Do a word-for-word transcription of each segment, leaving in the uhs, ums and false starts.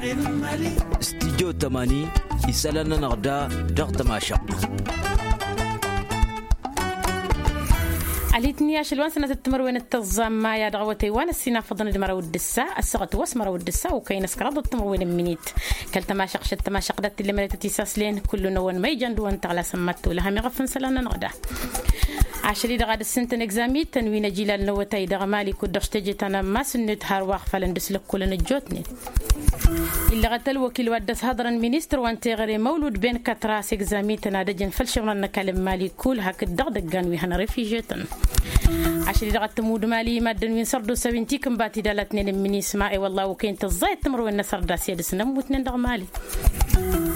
Studyo tămani isălan-nănăɣ da dăɣ-tămašăɣt. Alitni ašăl wa n-sănatăt timărwen d-tăẓẓa n-maya dăɣ-awătay wa n-ăssinafăḍăn d-măraw d-ǝssa ăssaɣăt wa s-măraw d-ǝssa okăyăn s-kăraḍăt timărwen n-minit. Kăl-tămašăɣt šăt tămašăɣt dat-t-illa mălătăt isaslăyăn kullu-năwăn ma ijan d-wăn tăɣlasăn mad-tolăhăm iɣăf n-isălan-nănăɣ da. Ašăl-i-dăɣ ad-ǝssǝntăn egzamităn wi n-ăjilal n-awătay dăɣ-mali kud-dăɣ s-teje ta n-ammas n-net hărwa ăɣfalăn dăɣ-s lăkkolăn ăjjootnen. Illăɣăt ălwăkil wa dd-ăshăḍrăn ministăr wa n-teɣăre măwlud ben kătra s-egzamităn ad-ăjăn făll-išǝmrăn n-ăkall n-mali kull hakd-dăɣ dăggan wi hăn refižetăn. Ašăl-i-dăɣ ad-tămud mali i-maddǝn wi n-sărdusa wi n-tikǝnbat idalătnen n-minisma i-wălla okăyăn tăẓẓayăt timǝrwen n-asărdas i-ad-dăɣ-s n-ămmutnen dăɣ-mali.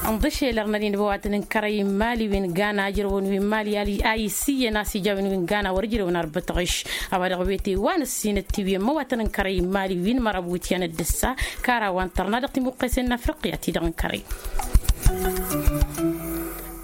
Ǝnḍǝšel ărnăd-in băwatăn n-kărăy n-mali wi n-gana ijrăwăn wi n-mali a issǝyyăn a-s ija wi n-gana wăr ǝjrewăn arbătăɣiš. A-wa dăɣ-wete wa n-ǝssin ăttiwǝyăn măwatăn n-kărăy n-mali wi n-măraw wityan d-ǝssa kara wa n-tărna dăɣ-timuqqesen n-afriqya-ti-dăɣ n-kărăy.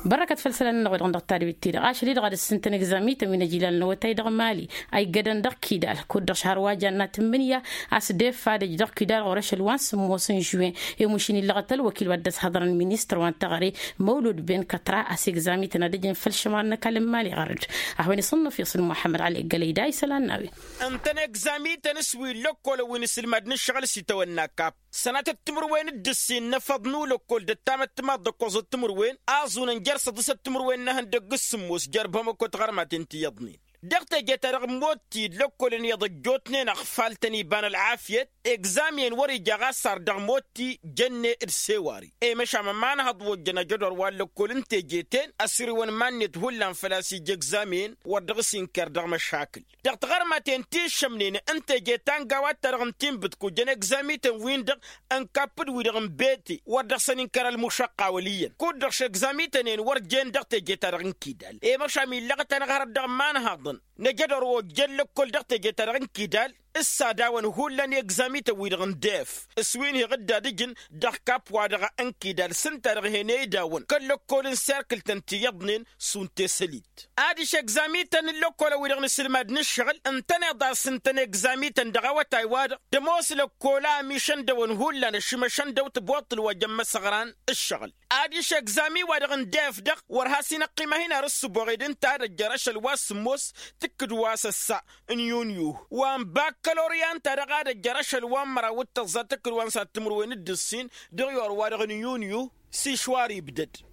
Bărrăkăt făll-isălan-nănăɣ wa dăɣ-năɣ tadwit-ti-dăɣ ašăl-i-dăɣ ad-ǝssǝntăn egzamităn wi n-ăjilal n-awătay dăɣ-mali a iggădăn dăɣ-kidal kud-dăɣ šăhăr wa janna tǝmmǝnǝya a-s deffa ad-ăj dăɣ-kidal ɣur-ašăl wa n-sǝmmos n-žuwen. I-mušǝn illăɣăt ălwăkil wa dd-ăshăḍrăn ministăr wa n-teɣăre măwlud ben kătra a-s egzamităn ad-ăjăn făll-išǝmran n-ăkall n-mali ɣărăd. Ad-hawăn-iṣǝnnǝf iṣǝl muḥămmăd ăli ǝggălăy da isălan n-a-wen. Ǝntăn egzamităn s-wi n-lăkkolăn wi n-isǝlmad n-ǝššăɣǝl s-itawănna kap sănatăt timǝrwen d-ǝssin n-efăḍ n-ulăkkol d-ăttamăttămaḍ d-ǝkkoẓăt timǝrwen aẓunăn jer-săḍǝsăt timǝrwen n-ehăndăgg s-sǝmmos jer-bamăko tiɣărmaten ti iyyăḍnen. Dăɣ-teje-ta-dăɣ ămmotti d-lăkkolăn iyyăḍ ăjjootnen ăɣfal-tăn iba n-ălɣafyăt egzamiyăn wăr-ija ɣas ar dăɣ-motti jănne d-sewari. I-măšan ma n-hăḍ wa ojjăn ajădor wa n-lăkkol n-teje-ten ăsriwăn iman-net hullan făl-a-s ija egzamiyăn wăr dăɣ-s inker dăɣ-măšakǝl. Dăɣ-tiɣărmaten ti ǝššămnen n-teje ta n-gawad-ta-dăɣ n-tinbǝt kujăn egzamităn-win-dăɣ n-kapp d-wi-dăɣ n-bete wăr dăɣ-săn inkăr ălmušăqqa wăl' iyyăn kud-dăɣ šegzamităn-en wăr jen dăɣ-teje-ta-dăɣ n-kidal. I-măšan illăɣăt-anăɣ hărăt dăɣ-imanhăḍăn năjădor wa ojjăn lăkkol dăɣ-teje-ta-dăɣ n-kidal s-ad-awăn hullan i-egzamităn-wi-dăɣ n-def s-wi n-hi-ɣǝdda ad-ǝjǝn dăɣ-kapp-wa-dăɣ n-kidal s-ǝnta-dăɣ hen-e-idawăn kăl-lăkkol n-serkǝl-tăn ti iyyăḍnen šund tesălit. Adiš egzamităn n-lăkkolăn-wi-dăɣ n-isǝlmad n-ǝššăɣǝl ǝntăneḍ a-s ǝntăn egzamităn dăɣ-awătay-wa-dăɣ tămoos lăkkola amišăn dăwăn hullan ăšimăšăn dăw-tăboṭṭǝl wa jăn imăsăɣran ǝššăɣǝl. Adiš egzami-wa-dăɣ n-def-dăɣ wăr has-inăqqima hin-ar ǝssǝboɣed ǝnta ad-ăjjăr ašăl wa s-sǝmmos tǝkkǝd wa s-ăssa n-yunyu wa n-bakkalorya ǝnta-dăɣ ad-ăjjăr ašăl wa n-măraw d-tăẓẓa tǝkkǝd wa n-sad-timǝrwen d-ǝssin dăɣ-iwar-wa-dăɣ n-yunyu. S-išwar ibdăd.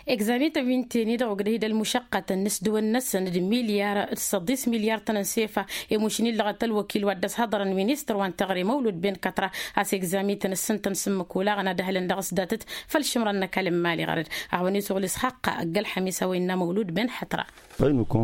Egzamităn wi n-teni dăɣ-ogdăh-i d-ălmušăqqătăn n-isdǝwăn-năsăn d-milyar d-săḍis milyar-tăn n-sefa. Emušǝn illăɣăt ălwăkil wa dd-ăshăḍărăn ministăr wa n-teɣăre măwlud ben kătra a-s egzamităn ǝssǝntăn s-ǝmmǝk olaɣăn ad-ăhlǝn dăɣ-s datăt făll-išǝmrăn n-ăkall n-imali ɣărăd. A hawăn-isuɣǝl s-haqqa ăgg-ălxămis a-wa innă măwlud ben hătra.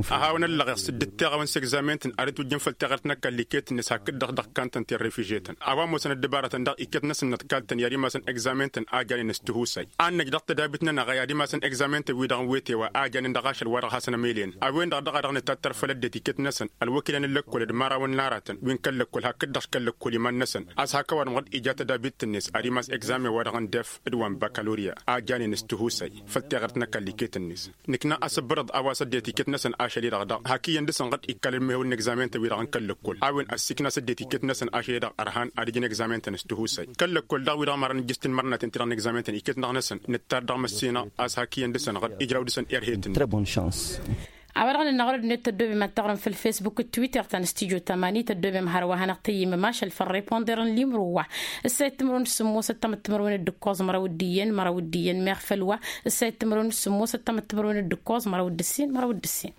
A hawăn-ăllăɣeɣ s-dd-teɣăwen s-egzamenten ad-ătwǝjjăn făll-teɣărt n-ăkall iket-net hakd-dăɣ dăɣ-kantăn ti n-refižetăn a-wa ămoosăn ăddăbarătăn dăɣ-iket-năsăn n-ăḍkaltăn i-ad-imasăn egzamenten a janen s-tihusay. Ad-năj dăɣ-tădabit-nănăɣ a i-ad-imasăn egzamenten-wi-dăɣ n-wete wa a janen dăɣ-ašăl wa dăɣ-hasăn-ămelyăn a-wen-dăɣ daɣ a dăɣ-nǝtattăr făll-ăddinăt iket-năsăn ălwăkilăn n-lăkkol d-imărawăn n-aratăn wi n-kăl-lăkkol hakd-dăɣ kăl-lăkkol iman-năsăn a-s hak ăwadǝm ɣur-dd ija tădabit-net ad-imas egzamen wa dăɣ-n def d-wa n-bakalorya a janen s-tihusay făll-teɣărt n-ăkall iket-net. Nǝkna asǝbbărăḍ a-wa s-ăddinăt iket-năsăn ašăl-i-dăɣ daɣ hak iyyăn dăɣ-săn ɣǝd ikkalăn mehăwăn n-egzamenten-wi-dăɣ n-kăl-lăkkol a-wen ăssiikna s-ăddinăt iket-năsăn ašăl-i-dăɣ ărhan ad-ǝjǝn egzamenten s-tihusay kăl-lăkkol daɣ wi-dăɣ mărăn ǝjjǝs tinmărnaten ti-dăɣ n-egzamenten iket-năɣ-năsăn nǝttar dăɣ-măssinăɣ a-s hak iyyăn dăɣ-săn ɣǝd ijraw dăɣ-săn erhetăn. A-wa-dăɣ nǝnna ɣur-ăddinăt tăddobem ad-taɣrǝm făll-fesbuk d-twitter ta n-studyo tamani tăddobem hărwa hanăɣ-tăyyǝmăm ašăl făll-reponderăn limru wa ǝssayăt timǝrwen d-sǝmmos ăttămăt timǝrwen d-ǝkkoẓ măraw d-iyyăn măraw d-iyyăn meɣ făll-wa ǝssayăt timǝrwen d-sǝmmos ăttămăt timǝrwen d-ǝkkoẓ măraw d-ǝssin măraw d-ǝssin.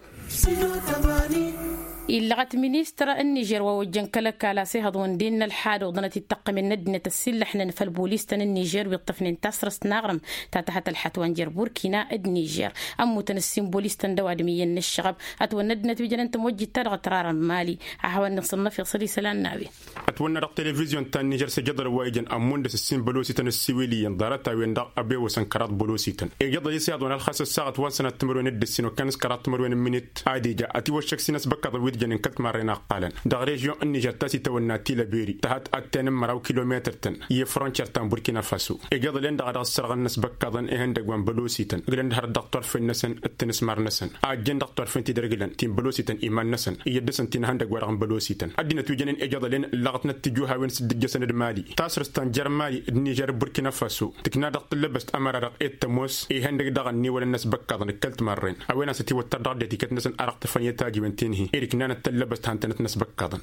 Illăɣăt ministăr n-nižer wa ojjăn kăl-ăkall a-s ihăḍ wăn d-innă ălḥad oḍănăt ittăqqămen n-ăddinăt ăsillăḥnen făll-bolistăn n-nižer wi ǝṭṭăfnen tasrăst n-aɣrǝm ta tǝhăt ălḥat wa n-jer-burkina d-nižer. Ămmutăn ǝssin bolistăn d-ăwadǝm iyyăn n-ǝššăɣăb ătwănna ăddinăt wi jănen tămojjit-ta-dăɣ tărar n-mali. Ad-hawăn-nǝsǝnnăf iṣăl isălan n-a-wen. Ătwănna dăɣ-televizyon ta n-nižer s-ejăḍăl wa ijăn ămmun dăɣ-s ǝssin bălosităn ăssiwǝl iyyăn ḍarăt-a-wen-dăɣ ăbewăsăn kăraḍ bălosităn ejăḍăl-i s-ihaḍ wăn ălxas ăssaɣăt wa n-sănat timǝrwen d-ǝssin okăyăn s-kăraḍ timǝrwen n-imǝnit ad-ija ătiwăššăk s-in-ăsbăkkaḍăn wi-dăɣ jănen kăl-timarren a ǝqqalăn dăɣ-režyon n-nižer ta s-itawănna tilăberi tăhat ad-tenǝmmăraw kilometăr-tăn i-frontiyer ta n-burkina faso. Ejăḍălen-dăɣ a dăɣ-ǝssărɣăn n-asbăkkaḍăn ihăndăgg wa n-bălosităn ǝglăn-dd hărăt dăɣ-turfen-năsăn d-tinǝsmar-năsăn a ăjjeen dăɣ-turfen ti dăr-ǝglăn ti n-bălosităn iman-năsăn iyyăt dăɣ-săn ti n-ihăndăgg wa dăɣ-n bălosităn. Ăddinăt wi jănen ejăḍălen ǝllăɣătnăt tijǝwhawen s-dd-ǝjjăsăn d-mali tasrǝst ta n-jer-mali d-nižer d-burkina faso tǝkna dăɣ-tǝllăbăst ămăra-dăɣ i-t-tămoos ihăndăgg dăɣ-ănniwălăn n-asbăkkaḍăn d-kăl-timarren a-wen a-s ătiwăttăr dăɣ-dd-etikăt-năsăn arăɣ tăfăn i-tajǝwen ti n-hi ed iknanăt tăllăbăst han-tănăt n-asbăkkaḍăn.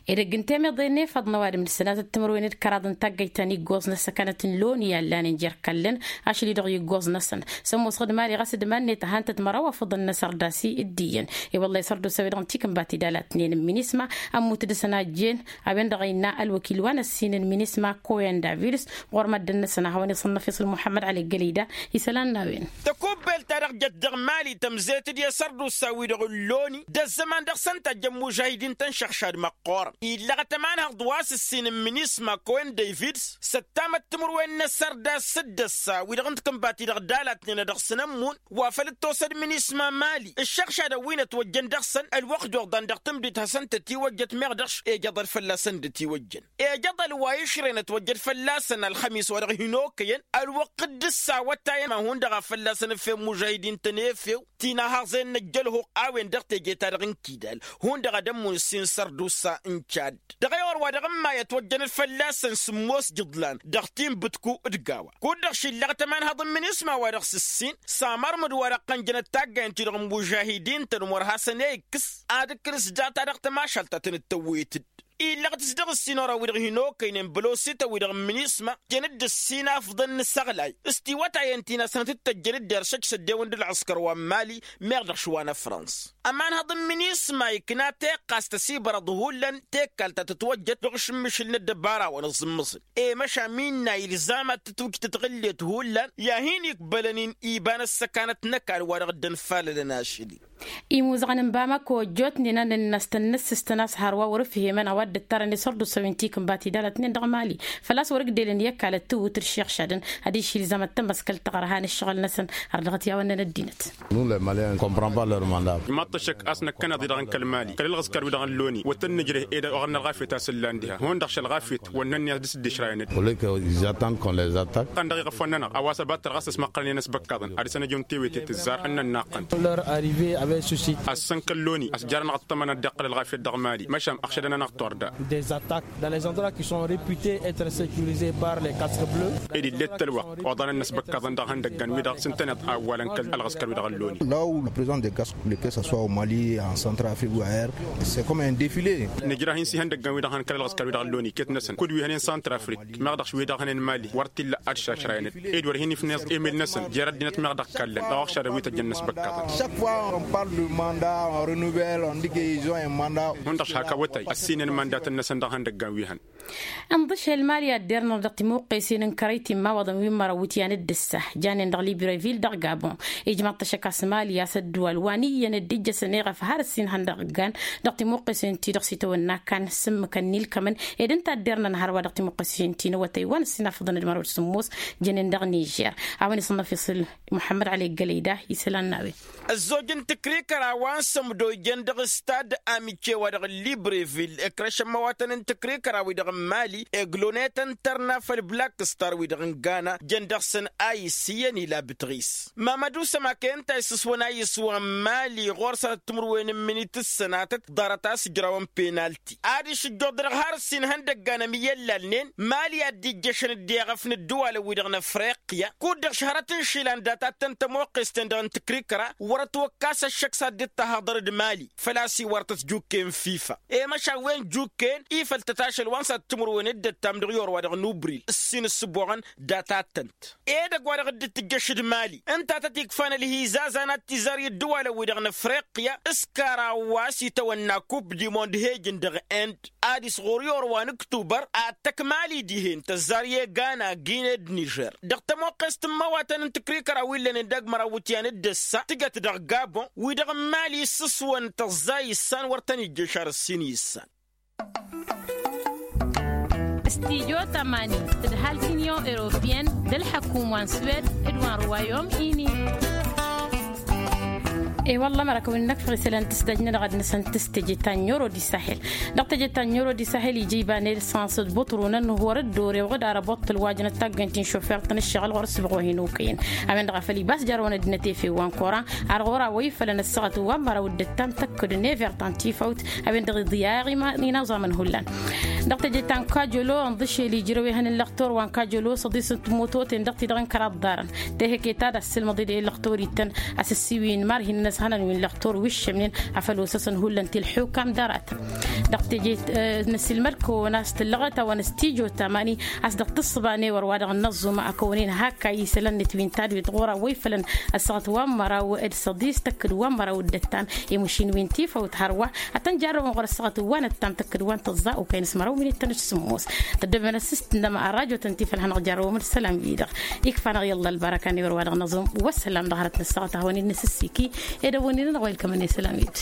Edăgg n-temeḍe n-efăḍ n-ăwadǝm d-sănatăt timǝrwen d-kăraḍ n-taggăyt ta n-iggoẓ n-ăssăkanăt n-loni i-allan n-jer-kallăn ašli-dăɣ iggoẓ-năsăn s-ămoosăɣ d-mali ɣas d-iman-net ăhantăt măraw afǝḍăn n-asărdas-i d-iyyăn. I-wălla isărdusa-wi-dăɣ n-tikǝnba ti d-alatnen n-minisma ămmut dăɣ-săn a ăjjeen a-wen-dăɣ a innă ălwăkil wa n-ăssin n-minisma koyan davids ɣur-măddǝn-năsăn a hawăn-iṣănnăf iṣǝl muḥămmăd ăli gălida. Isălan n-a-wen. Tăkubbelt-ta-dăɣ jăt dăɣ-mali tămzet-dd i-asărdusa-wi-dăɣ n-loni d-ăzzăman dăɣ-săn tajjăn mužahidin-tăn šăɣšad măqqoorăn illăɣăt ămanhăḍ wa s-ǝssin n-minisma kowen davids s-ăttamăt timǝrwen n-asărdas s-dd-ăssa wi-dăɣ n-tikǝnba-ti-dăɣ d-alatnen ad-dăɣ-săn ămmun wa făl dd-tosăd minisma mali ǝššăɣšadăn wi n-ătwăjjăn dăɣ-săn ălwăqq d-oḍan dăɣ-tǝmdit hasăn-tătiwăjjăt meɣ dăɣ-š ejăḍăl fălla-săn dd-ătiwăjjăn. Ejăḍăl wa išrăyăn ătwăjjăt fălla-săn ălxămis wa dăɣ-hin-okăyăn ălwăqq dd-ǝssawătayăn ma hundăɣ a fălla-săn ǝffew mužahidin-tăn efew ti n-ahăẓen n-ăjjălhux a-wen-dăɣ teje-ta-dăɣ n-kidal hundăɣ ad-ămmun ǝssin sărdusa n-cadd dăɣ-ewăr wa dăɣ-n may ătwăjjănăt fălla-săn sǝmmos jǝḍlan dăɣ-tinbǝtku d-gawa. Kud-dăɣ šillăɣ tămanhăḍ n-minisma wa dăɣ-s-ǝssin s-amărmǝd wa dăɣ-tăn jănăt taggayăn-ti-dăɣ n-mužahidin-tăn umăr hasăn-e ikkǝs ad-ǝkkǝlǝs data dăɣ-tămašalt ta tăn-dd-tăwwet-dd. Illăɣ-t s-dăɣ-ǝssin orăn wi-dăɣ hin-okăynen bălosităn-wi-dăɣ n-minisma jăn-dd ǝssin afḍăn n-isăɣlay s-tiwătayăn ti n-asnăt d-tăjjăn dd-eršăj s-ăddewăn d-ălɣǝskăr wa n-mali meɣ dăɣ-šwa n-afrăns. Ămanhăḍ n-minisma ikna teqqast ăsibărăḍ hullan tekkalt ta tătwăjjăt dăɣ-ašǝmmǝšǝl n-ăddăbara wa n-aẓǝmmǝẓǝl i-măšan mi innă ilzam ad-tǝtwǝj tǝtɣǝllet hullan i-ad-hin-ikbălăn-in iba n-ăssăkanăt n-ăkall wa dăɣ-dd-ănfalălăn ašăl-i. Imuzăɣăn n-bamako ăjjootnen a nănn'-as tănnăssǝstăn a-s hărwa wăr-ǝfhemăn a-wa dd-ǝttărăn isărdusa wi n-tikǝnba ti d-alătnen dăɣ-mali făl-a-s wăr-ǝgdelăn i-ăkall ăttǝwwǝt d-išiɣšadăn ad-išilzăm ad-tămăskăl taɣărha n-ǝššăɣǝl-năsăn har dăɣ-t i-a-wăn-năn ăddinăt. Imaḍ-t ăššăk a-s năkkăneḍ-i-dăɣ n-kăl-mali kăl-ălɣǝskăr-wi-dăɣ n-loni wăr tăn-nǝjreh ed oɣăr n-ălɣafyăt a-s ǝllan diha hundăɣ šălɣafyăt wăr nănn'-i a-s dăr-s dd-išrayăn-dd. Ănn-dăɣ iɣăf wănnănăɣ a-wa s-ăbattăr ɣas ăsmăqqălăn i-inăsbăkkaḍăn ad-dăr-săn ăjun tewete tǝzzar ănnănnaqqăn. Ăssăn kăl-loni a-s jarăn-aɣ ăṭṭămăn ad-dd-iqqăl ălɣafyăt dăɣ-mali măšan ăɣšădăn-anăɣ turda. Des attaques dans les endroits qui sont reputés être sécurisés par les casques bleus. Ed ill'-e t-ălwăqq oḍan ănnăsbăkkaḍăn dăɣ-ihăndăggan-wi-dăɣ s-ǝntăneḍ a ăwwalăn kăl-ălɣǝskăr-wi-dăɣ n-loni. La où la présence des casques bleus que ça soit au mali en centrafrique ou ailleurs, c'est comme un défilé. Nǝjrah-in s-ihăndăggan-wi-dăɣ hăn kăl-ălɣǝskăr-wi-dăɣ n-loni iket-năsăn kud wi hănen centrafrique meɣ dăɣ-š wi-dăɣ hănen mali wăr t-illa ad-šašrayăn-dd ed wăr hin-ifneẓ emil-năsăn jer-ăddinăt meɣ dăɣ-kallăn dăɣ-oɣšadăn wi tăjjăn inăsbăkkaḍăn. Chaque fois on parle de mandat, on renouvelle, on dit que ils ont un mandat. Hundăɣ-š hak awătay ăssinen mandatăn-năsăn dăɣ-ihăndăggan wi hăn. Ǝnḍǝšel mali ad-dd-irnăɣ dăɣ-timuqqesen n-kărăy timmawăḍăn wi n-mărăwwǝtyan d-ǝssa janen dăɣ-librevil dăɣ-gabon. Ijmăḍ-t ăššăk a-s mali a-s ădduwal wa n-iyyăn dd-ijjăsăn eɣăf har ǝssin ihăndăggan dăɣ-timuqqesen-ti-dăɣ s-itawănna kan s-ǝmmǝkăn n-ilkămăn ed ǝnta a dd-irnăn hărwa dăɣ-timuqqesen-ti n-awătay wa n-ǝssin afǝḍăn d-mărăwăt sǝmmos. Jănen dăɣ-nižer a-wen isǝnnăf isǝl muḥămmăd ăli gălăyda isălan n-a-wen. Ăzzoj n-tǝkrikăra wa n-sămdo ijăn dăɣ-stad amice wa dăɣ-librevil ǝkrăšăn măwatăn n-tǝkrikăra-wi-dăɣ n-mali eglonetăn tărna făll-black star-wi-dăɣ n-gana jăn dăɣ-săn a isǝyyăn ila bǝtɣis. Mamădu sămake ǝnta a isǝswăn a isǝswăn mali ɣur-săn ăttǝmǝrwen n-minit s-sănatăt ḍarăt a-s ǝjrawăn penalti ad-išǝjjuḍ dăɣ-har ǝssin ihăndăggan ămiyăllalnen mali a dd-ijjăšăn dd-eɣăf n-ǝddǝwalăn-wi-dăɣ n-afriqya kud-dăɣ šăhrăt n-išilan data t-tăn-tămoqqes-ten-dăɣ n-tǝkrikăra wăr-ătwăkkas ăššăk s-ad-dd-tahăḍăr d-mali făl-a-s iwărtăt jukken fifa i-măšan wen jukken ifăl-tăt ašăl wa n-s ad-timǝrwen d-ăttam dăɣ-iorwa dăɣ-nubril ǝssin ǝssǝboɣăn data-tăn. Edăgg wa dăɣ-dd-tǝjjăš d-mali ǝnta a tăt-ikfan ălhizazan ad-t-izar i-ǝddǝwalăn-wi-dăɣ n-afriqya s-kăraw wa s-itawănna kup dimond hejǝn dăɣ-end ad-isɣur i-orwa n-ǝktubăr ad-tăkk mali dihen tăzzar i-egana gine d-nižer dăɣ-tămoqqest n-imăwatăn n-tǝkrikăra wi ǝllănen dăgg-măraw iwǝtyan d-ǝssa tǝjăt dăɣ-gabon wi-dăɣ n-mali s-ǝswăn tăẓẓa issan wăr tăn-ijjăš ar ǝssin issan. Stijo tămani d-ǝhhal tinion europeyăn d-ălḥăkum wa n-swed d-wa n-ruwayom ini. E-wălla mărakăwăn n-akfăɣ isălan tǝsdăjnănăɣ ad-năsăn tǝstǝje ta n-euro di sahel. Dăɣ-teje ta n-euro di sahel ija iba n-esanse d-buṭrunăn wăr-dd-ore wăɣ-dd ara boṭṭăl wa jăn ăttaggăyăn ti n-šofert n-ǝššăɣǝl ɣur-s băɣ-ohin okăyăn. A-wen-dăɣ a făl ibas jarrăwăn ăddinăt efew wa n-kora ar ɣur-a wa ifălăn ăssaɣăt wa n-măraw d-ǝttam tăkk-dd n-ever ta n-tifăwt. A-wen-dăɣ iḍǝyya inaẓamăn hullan. Dăɣ-teje ta n-kajolo ǝnḍǝšel ijrăw ehăn n-lăxtor wa n-kajolo săḍis n-timototen dăɣ-ti-dăɣ n-kăraḍ ḍarăn. Tehăke ta d-assǝlmăḍ-dd i-lăxtor ittăn a-s ǝssiwǝyǝn mar hin-năshănăn wi n-lăxtor wi ǝššămnen. Afăl osăsăn hullan ti ǝlḥukam d-aratăn dăɣ-teje. Năsilmăd-kăwăn a-s tǝllăɣăt a-wa n-ăstijo tamani a-s dăɣ-tǝssǝba n-ewăr wa dăɣ-năẓẓuma a kăwăn-in hak a isălan-net wi n-tadwet ɣur-a wa ifălăn ăssaɣăt wa n-măraw d-săḍis tăkk-dd wa n-măraw d-ăttam. Imušin wi n-tifăwt hărwa ad-tăn-jarrăwăn ɣur-ăssaɣăt wa n-ăttam tăkk-dd wa n-tăẓẓa okăyăn s-măraw minit tăn-ăšsǝmmos. Tăddobăn ăssistăn dăɣ-măra rajo tăn-tifălhănăɣ jarrăwăm d-isălam-i-dăɣ. Ikfa-năɣ i-ălla ălbarăka n-ewăr wa dăɣ-năẓum. Wăssălam dăɣ-hărăt n-ăssaɣăt a hawăn-in-năsǝssiki edăwăn-in-nănăɣ wa ilkămăn isălam-i-dd.